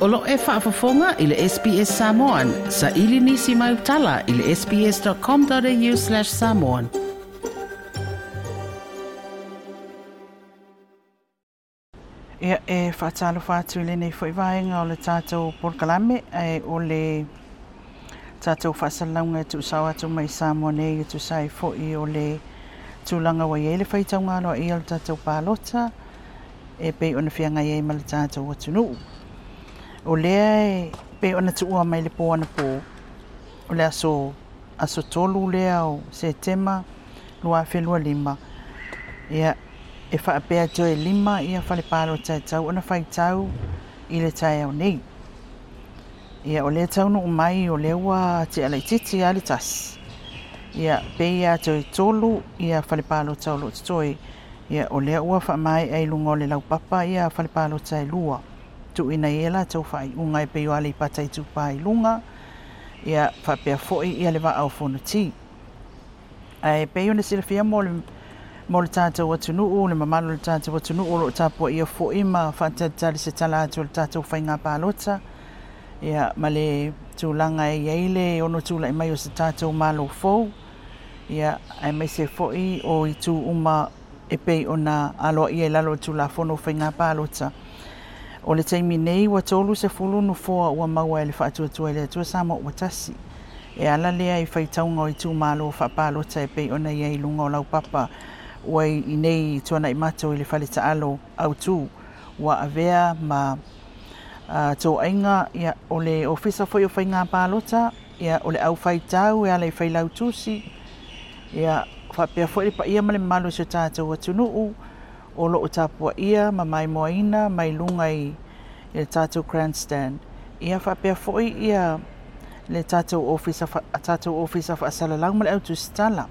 O lo o e faafofoga i le SBS Samoan, saili nisi mau tala i le sbs.com.au/samoan. Ia, e faatalofa atu i lenei foi vaega o le tatou polokalame, ae o le tatou faasalalauga e tuusao atu mai Samoa nei e tusa ai foi o le tulaga ua i ai le faitauga aloaia o le tatou palota e pei ona feagai ai ma le tatou atunuu. O lea e pei ona tuua mai le pō anapo, o le aso, aso 3 lea o Setema 2025, ia, e faapea toe 5 ia fale palota e tatau ona faitau i le taeao nei. Ia, o lea taunuu mai o lea ua tea laitiiti lava le tasi. Ia, pei lava toe 3 ia fale palota o lo o totoe. Ia, o lea ua faamaea i luga o le laupapa ia fale palota e 2. Tuuina i ai latou faaiuga e pei o Aleipata Itupa i luga, ia, faapea foi ia le Vaa o Fonoti. Ae pei ona silafia mo le, mo le tatou atunuu, le mamalu o le tatou atunuu o lo o tapuaia foi ma faatalitali se tala atu o le tatou faiga palota, ia, ma le tulaga e i ai le ono tulai mai o se tatou Malo fou, ia, aemaise foi o itu uma e pei ona aloaia i lalo o le Tulafono o Faiga Palota. O le taimi nei ua 30 nofoa ua maua e le Faatuatua i le Atua Samoa ua tasi. E ala lea i faitauga o itumalo faapalota e pei ona i ai i luga o laupapa ua i nei tuanai matou i le fale taalo autu ua avea ma toaiga ia, o le Ofisa foi o Faiga Palota ia, o le au faitau e ala i Failautusi ia, faapea foi le paia ma le mamalu o si o tatou atunuu o lo o tapuaia ma maimoaina mai luga i le tatou grandstand. Ia faapea foi ia le tatou ofisa, tatou ofisa faasalalau ma le au tusitala.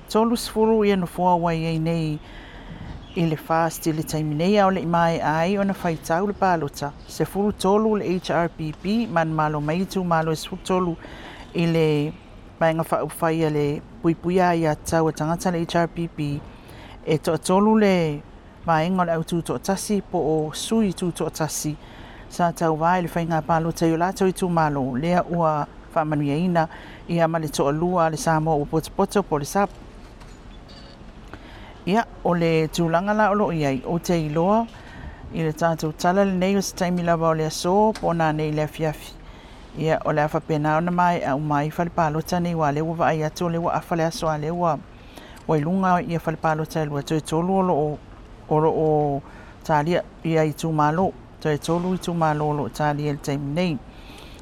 30 ia nofoa ua i ai nei i le FAST i le taimi nei, a o le i maea ai ona faitau le palota. 13 le HRPP, manumalo mai itumalo e 13 i le Vaega Faaupufai a le Puipuia Aiatatau a Tagata le HRPP, e toatolu le vaega o le au tutoatasi po o sui tutoatasi sa tauva i le faiga palota i o latou itumalo lea ua faamanuiaina ia ma le toalua a le Samoa ua potopoto po o le SAP. Ia, o le tulaga la o lo o i ai, ou te iloa i le tatou tala lenei o se taimi lava o le aso po o nanei i le afiafi. Ia, o le a faapena ona maea uma ai fale palota nei, aua o lea ua vaai atu o lea ua afa le aso a o lea ua ua i luga ia fale palota e lua, toe tolu o lo o o lo o talia ia itumalo, toe tolu itumalo o lo o talia i le taimi nei.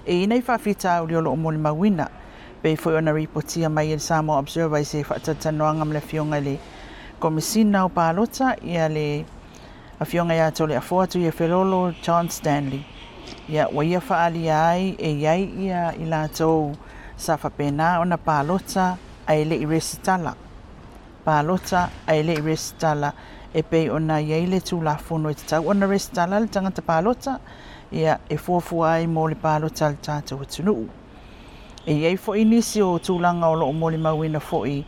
E i ai nai faafitauli o lo o molimauina, pei foi ona ripotia mai e le Samoa Observer i se faatalatalanoaga ma le Afioga i le Komesina o Palota, ia le Afioga ia Toleafoa Tuiafelolo John Stanley, ia ua ia faaalia ai e i ai ia i latou sa faapena ona palota ae le i resitala. Palota ae le i resitala e pei ona i ai le Tulafono e tatau ona resitala le tagata palota, ia e fuafua ai mo le palota a le tatou atunuu. E i ai foi nisi o tulaga o lo o molimauina foi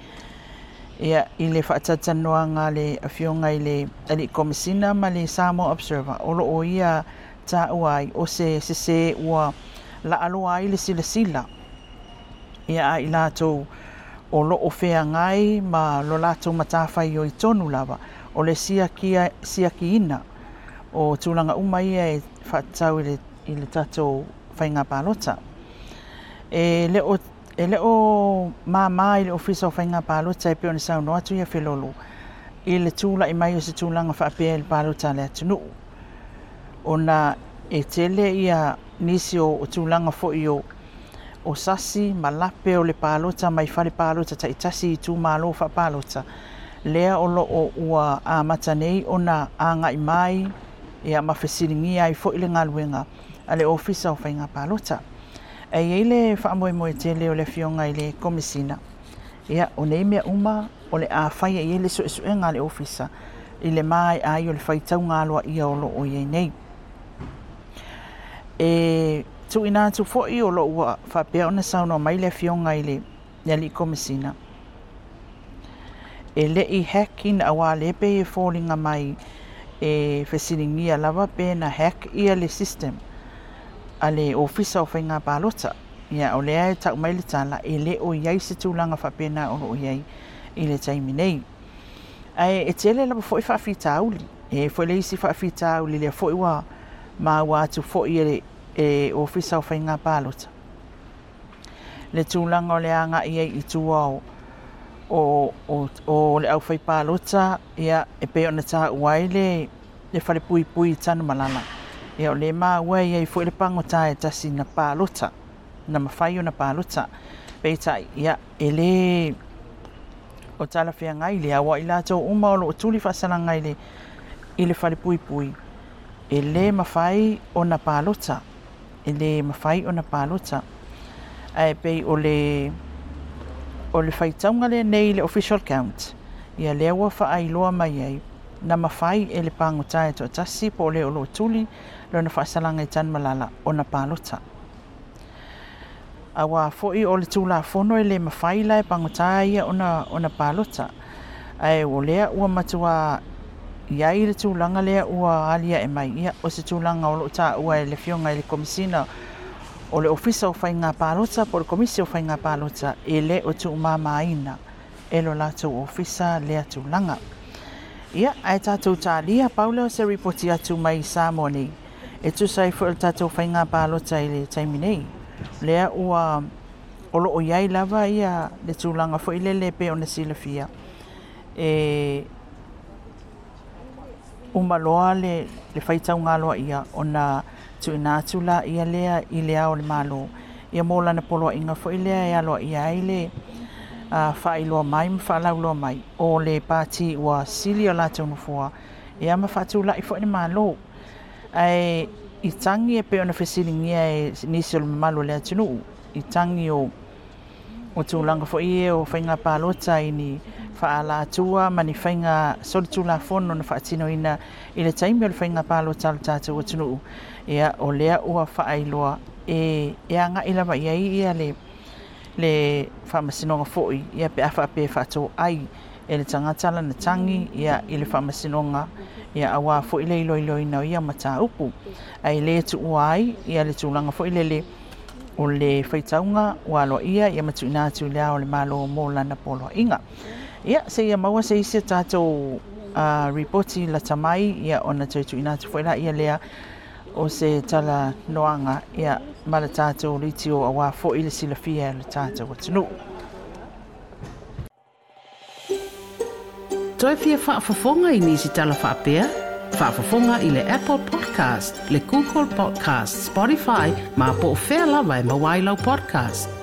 ia, i le faatalatalanoaga a le Afioga i le Alii Komesina ma le Samoa Observer, o lo o ia taua ai o se sesē ua laaloa ai le silasila ia a i latou o lo o feagai ma lo latou matafaioi tonu lava o le siakia, siakiina o tulaga uma ia e faatatau i le, i le tatou faiga palota. E le o, e le o māmā i le Ofisa o Faiga Palota e pei ona saunoa atu ia Felolo i le tulai mai o se tulaga faapea i le palota a le atunuu, ona e tele ia nisi o, o tulaga foi o, o sasi ma lape o le palota mai fale palota taitasi i itumalo faapalota, lea o lo o ua amata nei ona agai mai ia ma fesiligia ai foi le galuega a le Ofisa o Faiga Palota. Ae i ai le faamoemoe tele o le Afioga i le Komesina, ia, o nei mea uma o le a faia i ai le suesuega a le Ofisa i le maea ai o le faitauga aloaia o lo o i ai nei. E tuuina atu foi o lo o ua faapea ona saunoa mai le Afioga i le Alii Komesina, e le i hack ina, aua o lea e pei e foliga mai e fesiligia lava pe na hack ia le system. a le Ofisa o Faiga Palota. Ia, o lea e tau mai le tala, e le o i ai se tulaga faapena o lo o i ai i le taimi nei. Ae e tele lava foi faafitauli. E i ai foi le isi faafitauli lea foi ua maua atu foi e le e Ofisa o Faiga Palota le tulaga o le agai ai i tua o o, o, o le aufaipalota, ia, e pei ona taua ai le le falepuipui i Tanumalala. Ia, o lea e maua e i ai foi le pagota e tasi na palota, na mafai ona palota. Peitai, ia, e le o talafeagai lea, aua o i latou uma o lo o tuli faasalaga i le, i le falepuipui, e le mafai ona palota, e le mafai ona palota. Ae pei o le, o le faitauga lenei i le official count, ia lea ua faailoa mai ai, na mafai e le pagota e toatasi po o le o lo o tuli lona faasalaga i Tanumalala ona palota. Aua foi o le Tulafono e le mafai la e pagota ia ona, ona palota. Ae o lea ua matua i ai le tulaga lea ua aliae mai, ia, o se tulaga o lo o taua e le Afioga i le Komesina o le Ofisa o Faiga Palota po o le Komisi o Faiga Palota, e le o tuumamaina e lo latou ofisa lea tulaga. Ia, ae tatou talia, pau lea o se ripoti atu mai Samoa nei, e tusa ai foi o le tatou faiga palota i le taimi nei. Lea ua o lo o i ai lava ia le tulaga foi lele e pei ona silafia, e uma loa le, le faitauga aloaia ona tuuina atu laia lea i le Ao o le Malo, ia mo lana poloaiga foi lea e aloaia ai le faailoa mai ma faalauiloa mai o le pati ua sili o latou nofoa, ia ma faatulai foi le Malo. Ae i tagi e pei ona fesiligia e nisi o le mamalu o le atunuu, i tagi o o tulaga foi ia o faiga palota i ni faaalatua ma ni faiga solitulafono na faatinoina i le taimi o le faiga palota a le tatou atunuu, ia, o lea ua faailoa e, e agai lava i ai ia le, le faamasinoga foi, ia, pe a faapea e faatoai e le tagata lana tagi, ia, i le faamasinoga, ia, aua foi le iloiloina o ia mataupu. Ae le tuua ai ia le tulaga foi lele o le faitauga ua aloaia ia ma tuuina atu i le Ao o le Malo mo lana poloaiga. Ia, seia maua se isi o tatou ripoti lata mai, ia, ona toe tuuina atu foi laia lea o se talanoaga, ia, ma le tatou leitio aua foi le silafia e le tatou atunuu. Toe fia faafofoga i nisi tala faapea? Faafofoga i le Apple Podcast, le Google Podcast, Spotify, ma po o fea lava e maua ai lau podcast.